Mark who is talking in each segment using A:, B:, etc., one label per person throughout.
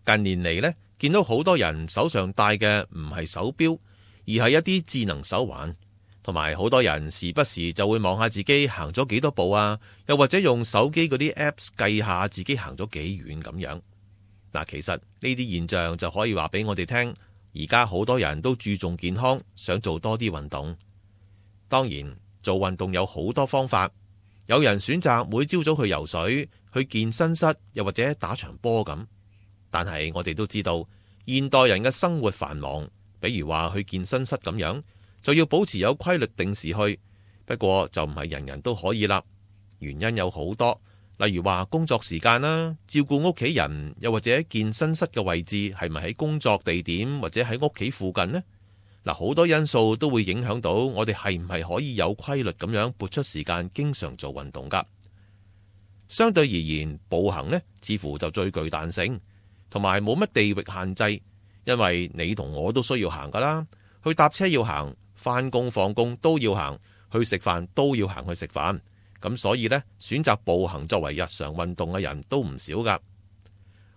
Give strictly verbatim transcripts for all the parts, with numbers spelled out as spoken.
A: 近年嚟呢，見到好多人手上戴嘅唔係手錶，而係一啲智能手環，同埋好多人時不時就會望下自己行咗幾多步啊，又或者用手機嗰啲 apps 計下自己行咗幾遠咁樣。嗱，其實呢啲現象就可以話俾我哋聽，而家好多人都注重健康，想做多啲運動。當然，做運動有好多方法，有人選擇每朝早去游水、去健身室，又或者打場波咁。但係我哋都知道，現代人嘅生活繁忙，比如話去健身室咁樣，就要保持有規律定時去。不過就唔係人人都可以啦，原因有好多，例如話工作時間啦、照顧屋企人，又或者健身室嘅位置係咪喺工作地點或者喺屋企附近呢？嗱，好多因素都會影響到我哋係唔係可以有規律咁樣撥出時間經常做運動噶。相對而言，步行呢似乎就最具彈性，同埋冇乜地域限制，因為你同我都需要行噶啦，去搭車要行，返工放工都要行，去食飯都要行去食飯，咁所以呢，選擇步行作為日常運動嘅人都唔少噶。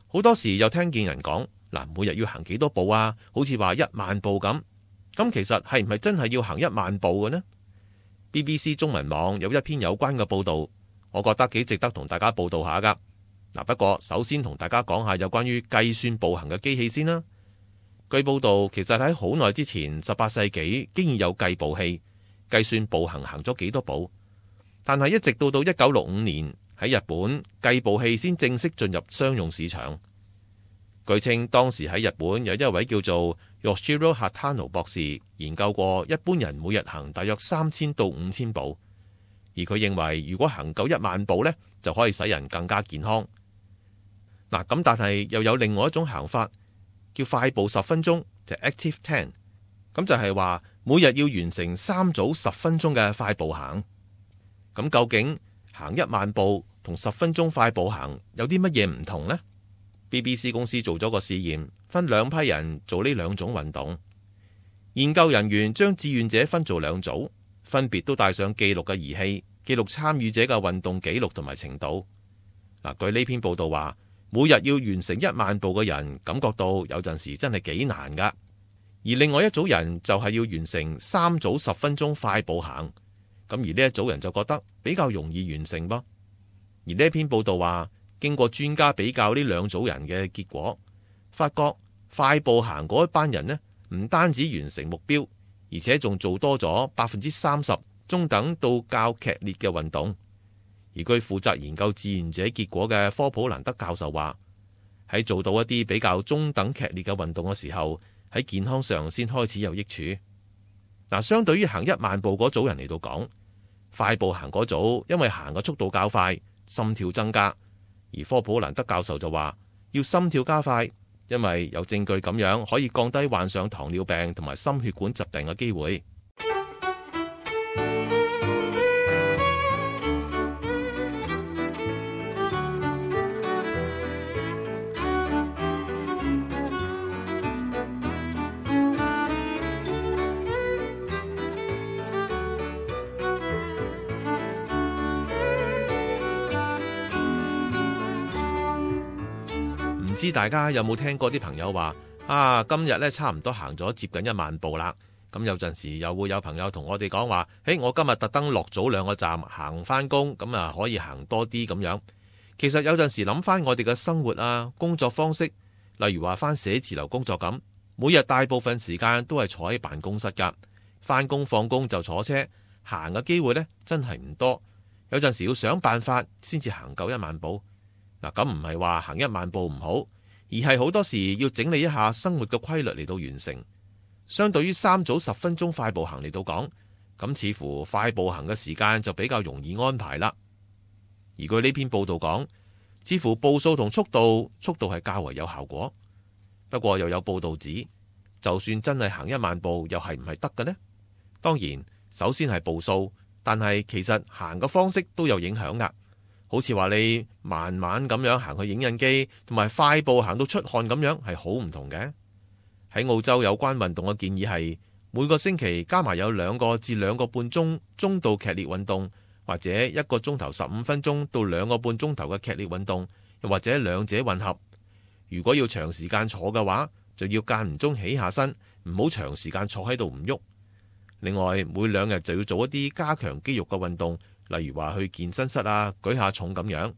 A: 好多時又聽見人講，嗱，每日要行幾多步啊？好似話一萬步咁，咁其實係唔係真係要行一萬步嘅呢？ B B C 中文網有一篇有關嘅報道，我覺得幾值得同大家報道下噶。嗱，不過首先同大家講下有關於計算步行嘅機器先啦。據報道，其實喺好耐之前，十八世紀竟然有計步器計算步行行咗幾多步，但係一直到到一九六五年喺日本，計步器先正式進入商用市場。據稱當時喺日本有一位叫做 Yoshiro Hatano 博士研究過，一般人每日行大約三千到五千步，而佢認為如果行夠一萬步呢，就可以使人更加健康。嗱，咁但係又有另外一種行法，叫快步十分鐘，就 Active Ten， 咁就係話每日要完成三組十分鐘嘅快步行。咁究竟行一萬步同十分鐘快步行有啲乜嘢唔同呢？ B B C 公司做咗個試驗，分兩批人做呢兩種運動。研究人員將志願者分做兩組，分別都帶上記錄嘅儀器，記錄參與者嘅運動記錄同埋程度。嗱，據呢篇報道話，每日要完成一萬步嘅人感覺到有陣時真係幾難噶，而另外一組人就係要完成三組十分鐘快步行，咁而呢一組人就覺得比較容易完成噃。而呢篇報道話，經過專家比較呢兩組人嘅結果，發覺快步行嗰一班人呢，唔單止完成目標，而且仲做多咗百分之三十中等到較劇烈嘅運動。而據負責研究志願者結果嘅科普蘭德教授話，喺做到一啲比較中等劇烈嘅運動嘅時候，喺健康上先開始有益處。嗱，相對於行一萬步嗰組人嚟到講，快步行嗰組因為行嘅速度較快，心跳增加。而科普蘭德教授就話，要心跳加快，因為有證據咁樣可以降低患上糖尿病同埋心血管疾病嘅機會。唔知大家有冇聽過啲朋友話啊，今日咧差唔多行咗接近一萬步啦。咁有陣時又會有朋友同我哋講話，誒，我今日特登落早兩個站行翻工，咁啊可以行多啲咁樣。其實有陣時諗翻我哋嘅生活啊，工作方式，例如話翻寫字樓工作咁，每日大部分時間都係坐喺辦公室噶，翻工放工就坐車，行嘅機會呢真係唔多。有陣時要想辦法先至行夠一萬步。嗱，咁唔係話行一萬步唔好，而係好多時要整理一下生活嘅規律嚟到完成。相對於三組十分鐘快步行嚟到講，咁似乎快步行嘅時間就比較容易安排啦。而據呢篇報道講，似乎步數同速度，速度係較為有效果。不過又有報道指，就算真係行一萬步，又係唔係得嘅呢？當然，首先係步數，但係其實行嘅方式都有影響噶。好似話你慢慢咁樣行去影印機，同埋快步行到出汗咁樣係好唔同嘅。喺澳洲有關運動嘅建議係每個星期加埋有兩個至兩個半鐘中度劇烈運動，或者一個鐘頭十五分鐘到兩個半鐘頭嘅劇烈運動，又或者兩者混合。如果要長時間坐嘅話，就要間唔中起下身，唔好長時間坐喺度唔喐。另外，每兩日就要做一啲加強肌肉嘅運動，例如話去健身室啊，舉下重咁樣。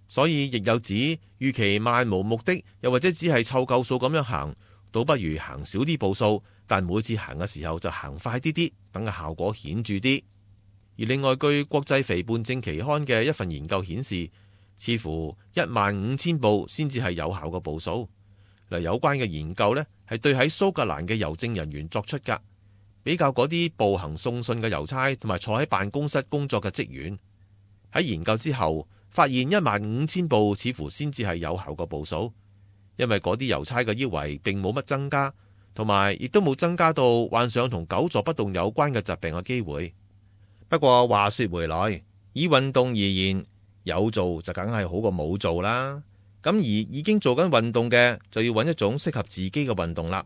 A: 所以亦有指，與其漫無目的，又或者只係湊夠數咁樣行，倒不如行少啲步數，但每次行嘅時候就行快啲啲，等個效果顯著啲。而另外，據國際肥胖症期刊嘅一份研究顯示，似乎一萬五千步先至係有效嘅步數。嗱，有關嘅研究呢，係對喺蘇格蘭嘅郵政人員作出㗎。比較嗰啲步行送信嘅郵差同埋坐喺辦公室工作嘅職員，喺研究之後發現一萬五千步似乎先至係有效嘅步數，因為嗰啲郵差嘅腰圍並冇乜增加，同埋亦都冇增加到患上同久坐不動有關嘅疾病嘅機會。不過話說回來，以運動而言，有做就梗係好過冇做啦。咁而已經做緊運動嘅，就要揾一種適合自己嘅運動啦。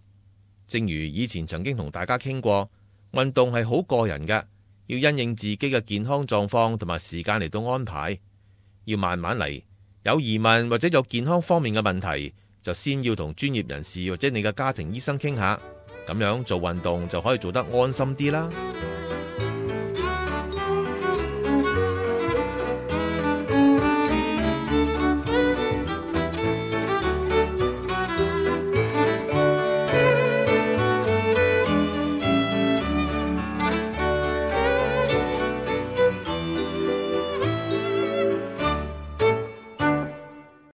A: 正如以前曾經同大家傾過，運動係好個人嘅，要因應自己嘅健康狀況同埋時間嚟到安排，要慢慢嚟。有疑問或者有健康方面嘅問題，就先要同專業人士或者你嘅家庭醫生傾下，咁樣做運動就可以做得安心啲啦。